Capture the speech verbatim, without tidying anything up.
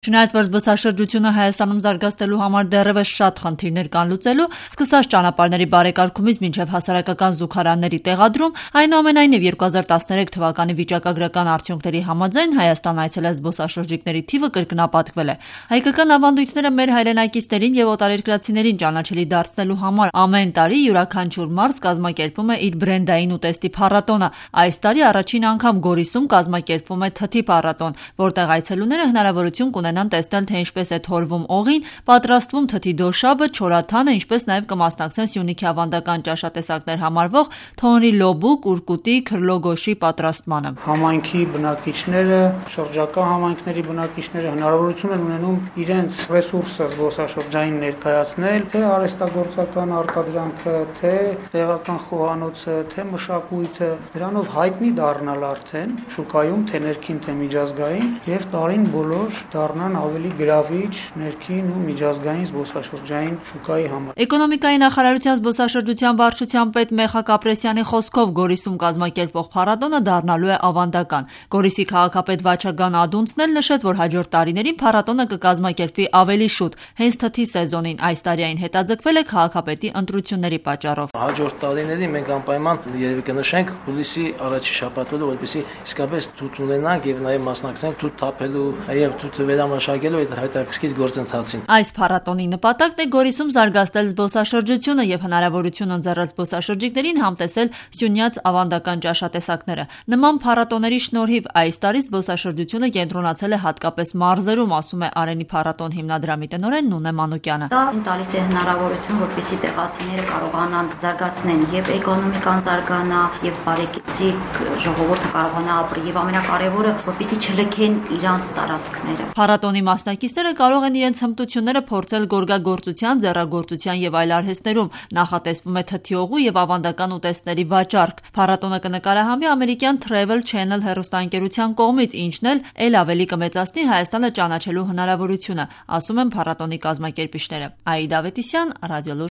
Չնայած որ զբոսաշրջությունը Հայաստանում զարգացնելու համար դեռևս շատ խնդիրներ կան լուծելու, սկսած ճանապարհների բարեկարգումից մինչև հասարակական զուգարանների տեղադրում, այնուամենայնիվ երկու հազար տասներեք թվականի վիճակագրական արդյունքների համաձայն Հայաստան այցելած զբոսաշրջիկների թիվը կրկնապատկվել է։ Հայկական ավանդույթները մեր հայրենակիցներին եւ օտարերկրացիներին ճանաչելի դարձնելու համար ամեն տարի յուրաքանչյուր մարզ կազմակերպում է իր բրենդային ուտեստի փառատոնը։ Այս տարի առաջին անգամ Գորիսում կազմակերպվում է թթի փառատոն, որտեղ այցելուները հնարավորություն կունենան տեսնել, թե ինչպես է թորվում օղին, պատրաստվում թթի դոշաբը, չորաթանը, ինչպես նաև կմասնակցեն Սյունիքի ավանդական ճաշատեսակներ համարվող թոնրի լոբու, կուրկուտի, քրլոգոշի պատրաստմանը։ Համայնքի բնակիչները, շրջակա համայնքների բնակիչները հնարավորություն են ունենում իրենց ռեսուրսը զբոսաշրջային ներկայացնել, թե արհեստագործական արտադրանքը, թե տեղական խոհանոցը, թե մշակույթը, դրանով հայտնի դառնալ արդեն շուկայում, թե ներքին, թե միջազգային, եւ տարին բոլոր դառնան ավելի գրավիչ ներքին ու միջազգային զբոսաշրջային շուկայի համար։ Էկոնոմիկայի նախարարության զբոսաշրջության վարչության պետ Մեխակ Ապրեսյանի խոսքով Գորիսում կազմակերպվող փառատոնը դառնալու է ավանդական։ Գորիսի քաղաքապետ Վաչագան Ադունցն էլ նշեց, որ հաջորդ տարիներին փառատոնը կկազմակերպվի ավելի շուտ, հենց թթի սեզոնին։ Այս տարի այն հետաձգվել է քաղաքապետի ընտրությունների պատճառով։ Հաջորդ տարիներին մենք անպայման երևի կնշենք հուլիսի առաջի շաբաթը, որպեսզի իսկապես թութ ունենանք եւ նաեւ մասնակցենք թութ թափելու եւ թութը վերամաշակելու այդ հետաքրքիր գործընթացին։ Այս փառատոնի նպատակն է Գորիսում զարգացնել զբոսաշրջությունը եւ հնարավորություն ընձեռել զբոսաշրջիկներին համտեսել Սյունյաց ավանդական ճաշատեսակները։ Նման փառատոների շնորհիվ այս տարի զբոսաշրջությունը կենտրոնացել է հատկապես մարզերում, ասում է Արենի փառատոն հիմնադրամի տնօրեն Նունե Մանուկյանը։ Դա տալիս է հնարավորություն, որպեսզի տեղացիները կարողանան զարգացնեն եւ էկոնոմիկան զարգանա, եւ բարեկեցիկ ժողովուրդը կարողանա ապրել, եւ ամենակարևորը, որպեսզի չլքեն իրանց տարածքները։ Փառատոնի մասնակիցները կարող են իրենց հմտությունները փորձել գորգագործության, ձեռագործության եւ այլ արհեստներում։ Նախատեսվում է թթի օղու եւ ավանդական ուտեստների վաճառք։ Փառատոնը կնկարահանվի ամերիկյան Travel Channel հեռուստաընկերության կողմից, ինչն էլ էլ ավելի կմեծացնի Հայաստանը ճանաչելու հնարավորությունը, ասում են փառատոնի կազմակերպիչները։ Աիդա Ավետիսյան, Ռադիոլուր։